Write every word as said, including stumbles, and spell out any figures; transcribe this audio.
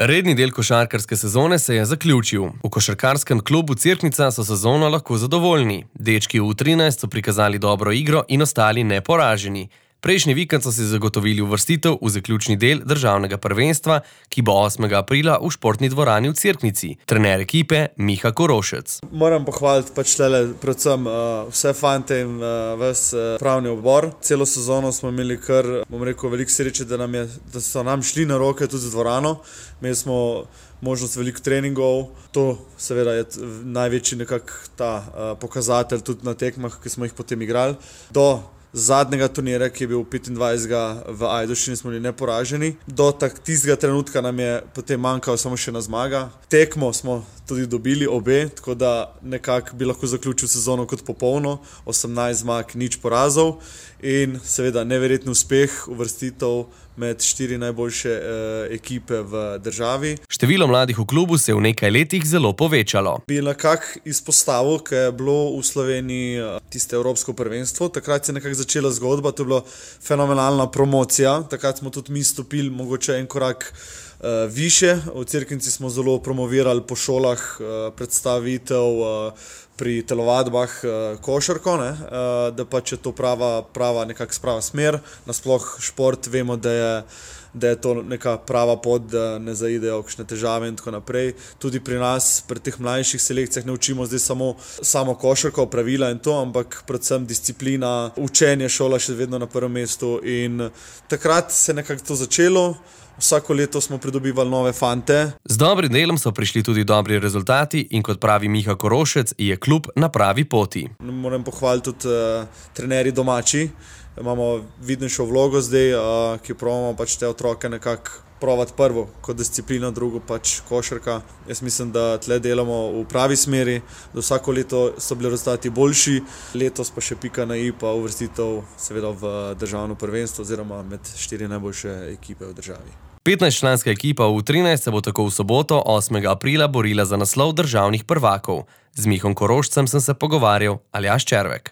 Redni del košarkarske sezone se je zaključil. V košarkarskem klubu Cerknica so sezono lahko zadovoljni. Dečki v trinajst so prikazali dobro igro in ostali neporaženi. Prejšnji vikend so si zagotovili uvrstitev v zaključni del državnega prvenstva, ki bo osmega aprila v športni dvorani v Cerknici. Trener ekipe Miha Korošec. Moram pohvaliti pač tele predvsem uh, vse fante in uh, ves uh, pravni odbor. Celo sezono smo imeli kar, bom rekel, veliko sreče, da, nam je, da so nam šli na roke tudi z dvorano. Imeli smo možnost veliko treningov. To seveda je največji nekak ta uh, pokazatelj tudi na tekmah, ki smo jih potem igrali. Do zadnjega turnira, ki je bil petindvajsetega v Ajdovščini, smo bili neporaženi. Do tistega trenutka nam je potem manjkalo samo še ena zmaga. Tekmo smo tudi dobili obe, tako da nekako bi lahko zaključil sezono kot popolno. osemnajst zmag, nič porazov in seveda neverjetni uspeh, uvrstitev med štiri najboljše eh, ekipe v državi. Število mladih v klubu se je v nekaj letih zelo povečalo. Bi nekako izpostavil, ker je bilo v Sloveniji tiste evropsko prvenstvo. Takrat se je nekako začela zgodba, to je bila fenomenalna promocija. Takrat smo tudi mi stopili mogoče en korak uh, više. V Cerknici smo zelo promovirali po šolah uh, predstavitev uh, pri telovadbah uh, košarko, ne? Uh, da pač je to prava, prava nekak sprava smer. Nasploh šport vemo, da je da je to neka prava pot, da ne zaidejo kakšne težave in tako naprej. Tudi pri nas, pri teh mlajših selekcijah ne učimo zdaj samo, samo košarko, pravila in to, ampak predvsem disciplina, učenje, šola še vedno na prvem mestu in takrat se je nekako to začelo. Vsako leto smo pridobivali nove fante. Z dobrim delom so prišli tudi dobri rezultati in kot pravi Miha Korošec, je klub na pravi poti. Moram pohvaliti tudi uh, trenerji domači. Imamo vidnejšo vlogo zdaj, uh, ki probamo pač te otroke nekako provati prvo kot disciplina, drugo pač košarka. Jaz mislim, da tle delamo v pravi smeri, da vsako leto so bili rezultati boljši, letos pa še pika na i pa uvrstitev seveda v državno prvenstvo oziroma med štiri najboljše ekipe v državi. petnajstčlanska ekipa v trinajst se bo tako v soboto, osmega aprila, borila za naslov državnih prvakov. Z Mihom Korošcem sem se pogovarjal, Aljaž Červek.